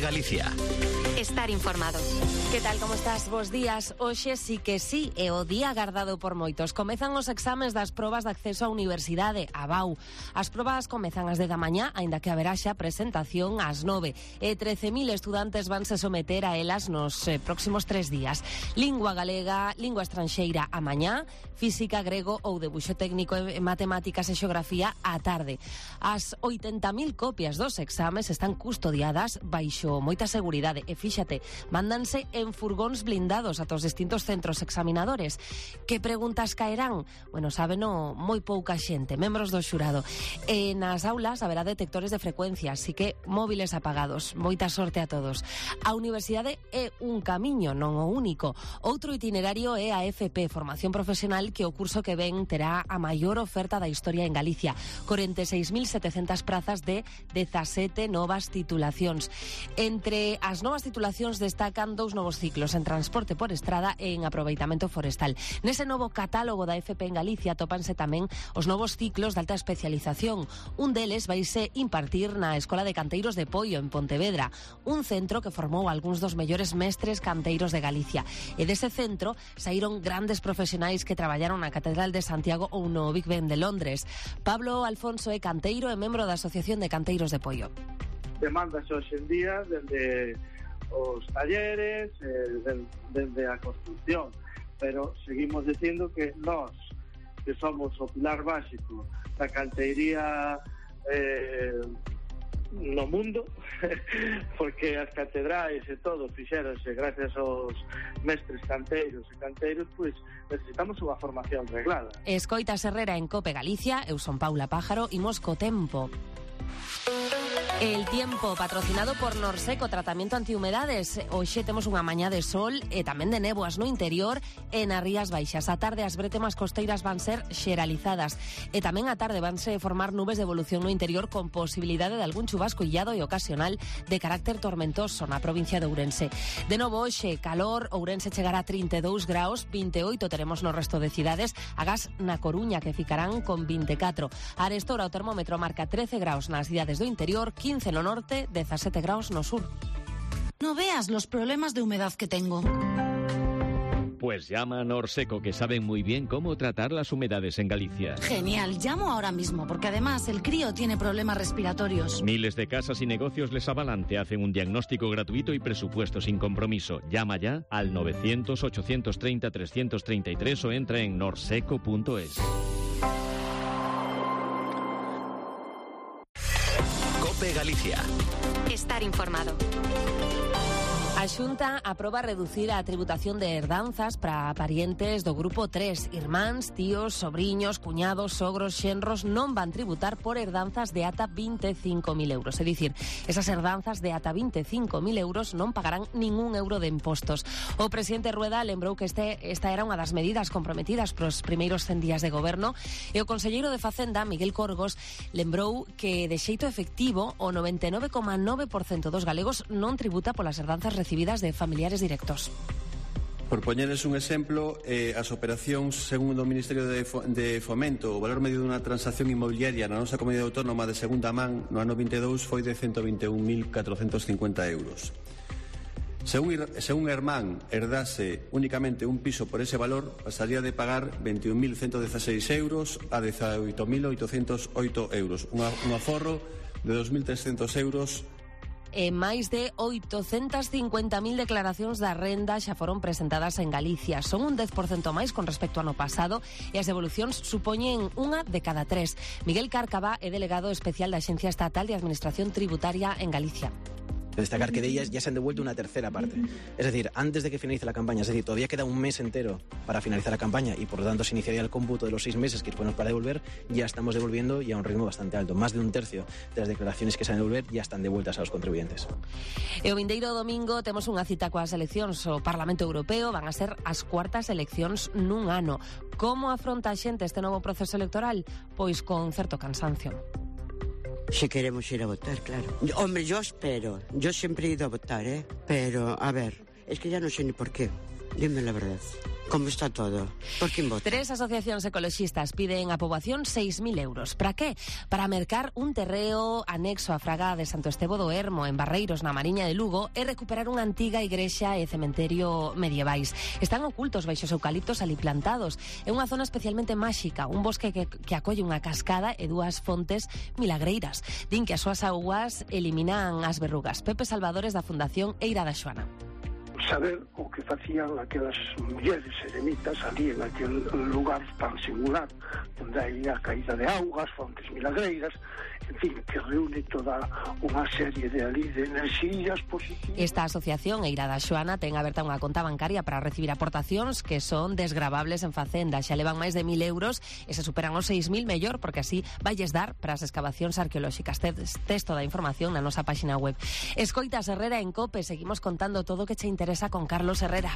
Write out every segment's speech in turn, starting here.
Galicia. Estar informado. Que tal, como estás? Bos días. Hoxe sí que sí, é o día agardado por moitos. Comezan os exames das probas de acceso á universidade, a BAU. As probas comezan ás 10 da mañá, aínda que haberá xa presentación ás 9. E 13.000 estudantes vanse someter a elas nos próximos 3 días. Lingua galega, lingua estranxeira a mañá, física, grego ou debuxo técnico, matemáticas e xeografía á tarde. As 80.000 copias dos exames están custodiadas baixo moita seguridade e fíxate, mándanse en furgóns blindados a todos distintos centros examinadores. Que preguntas caerán? Bueno, sábeno moi pouca xente, membros do xurado. E nas aulas haberá detectores de frecuencia, así que móviles apagados. Moita sorte a todos. A universidade é un camiño, non o único. Outro itinerario é a FP, Formación Profesional, que o curso que ven terá a maior oferta da historia en Galicia. 46.700 prazas de 17 novas titulacións. Entre as novas titulacións destacan 2 novos ciclos en transporte por estrada e en aproveitamento forestal. Nese novo catálogo da FP en Galicia tópanse tamén os novos ciclos de alta especialización. Un deles vaise impartir na Escola de Canteiros de Poio, en Pontevedra, un centro que formou algúns dos mellores mestres canteiros de Galicia. E dese centro saíron grandes profesionais que traballaron na Catedral de Santiago ou no Big Ben de Londres. Pablo Alfonso é canteiro e membro da Asociación de Canteiros de Poio. Demandas hoxe en día dende os talleres, dende a construcción, pero seguimos dicindo que nós, que somos o pilar básico da canteiría no mundo, porque as catedrais e todo fixéronse gracias aos mestres canteiros e canteiros, pois necesitamos unha formación reglada. Escoitas Herrera en Cope Galicia, eu son Paula Pájaro, imos co tempo. El tiempo, patrocinado por Norseco, tratamento antihumedades. Hoxe temos unha mañá de sol e tamén de néboas no interior e nas rías baixas. A tarde as bretemas costeiras van ser xeralizadas e tamén a tarde vanse formar nubes de evolución no interior con posibilidade de algún chubasco illado e ocasional de carácter tormentoso na provincia de Ourense. De novo hoxe, calor, Ourense chegará a 32 graus, 28 teremos no resto de cidades, agás na Coruña que ficarán con 24. A Arestora o termómetro marca 13 graus nas cidades do interior, 15 no norte, 17 graus no sur. No veas los problemas de humedad que tengo. Pues llama a Norseco, que saben muy bien cómo tratar las humedades en Galicia. Genial, llamo ahora mismo, porque además el crío tiene problemas respiratorios. Miles de casas y negocios les avalan, te hacen un diagnóstico gratuito y presupuesto sin compromiso. Llama ya al 900-830-333 o entra en norseco.es. Cope Galicia. Estar informado. A Xunta aproba reducir a tributación de herdanzas para parientes do grupo 3. Irmáns, tíos, sobriños, cuñados, sogros, xenros non van tributar por herdanzas de ata 25.000 euros. É dicir, esas herdanzas de ata 25.000 euros non pagarán ningún euro de impostos. O presidente Rueda lembrou que esta era unha das medidas comprometidas pros primeiros 100 días de goberno e o conselleiro de Facenda, Miguel Corgos, lembrou que de xeito efectivo o 99,9% dos galegos non tributa polas herdanzas recibidas de familiares directos. Por poñerles un exemplo, as operacións, segundo o Ministerio de Fomento, o valor medio dunha transacción inmobiliaria na nosa comunidade autónoma de segunda man no ano 22 foi de 121.450 euros. Según Hermán herdase únicamente un piso por ese valor, pasaría de pagar 21.116 euros a 18.808 euros, un aforro de 2.300 euros. E máis de 850.000 declaracións da renda xa foron presentadas en Galicia. Son un 10% máis con respecto ao ano pasado e as devolucións supoñen unha de cada 3. Miguel Cárcava é delegado especial da Axencia Estatal de Administración Tributaria en Galicia. Destacar que de ellas ya se han devuelto una tercera parte. Es decir, antes de que finalice la campaña, es decir, todavía queda un mes entero para finalizar la campaña y por lo tanto se iniciaría el cómputo de los 6 meses que disponemos para devolver, ya estamos devolviendo y a un ritmo bastante alto. Más de un tercio de las declaraciones que se han de devolver ya están devueltas a los contribuyentes. E o vindeiro domingo temos unha cita coas eleccións ao Parlamento Europeo, van a ser as cuartas eleccións nun ano. Como afronta a xente este novo proceso electoral? Pois con certo cansancio. Si queremos ir a votar, claro. Hombre, yo espero. Yo siempre he ido a votar, ¿eh? Pero, a ver, es que ya no sé ni por qué. Dime la verdad. Como está todo? Por quen vota? 3 asociacións ecoloxistas piden a poboación 6.000 euros. Para qué? Para mercar un terreo anexo á fraga de Santo Estevo do Ermo, en Barreiros, na Mariña de Lugo, e recuperar unha antiga igrexa e cementerio medievais. Están ocultos baixos eucaliptos ali plantados. É unha zona especialmente máxica, un bosque que acolle unha cascada e 2 fontes milagreiras. Din que as súas augas eliminan as verrugas. Pepe Salvadores, da Fundación Eira da Xoana. Saber o que facían aquelas mulleres eremitas ali en aquel lugar tan singular onde hai a caída de augas, fontes milagreiras, en fin, que reúne toda unha serie de ali de enerxías positivas. Esta asociación Eira da Xoana ten aberta unha conta bancaria para recibir aportacións que son desgravables en Facenda. Xa levan máis de 1.000 euros e se superan os 6.000 mellor, porque así valles dar para as excavacións arqueolóxicas. Texto da información na nosa páxina web. Escoitas Herrera en COPE, seguimos contando todo o que che interesa con Carlos Herrera.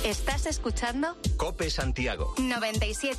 ¿Estás escuchando? Cope Santiago. 97.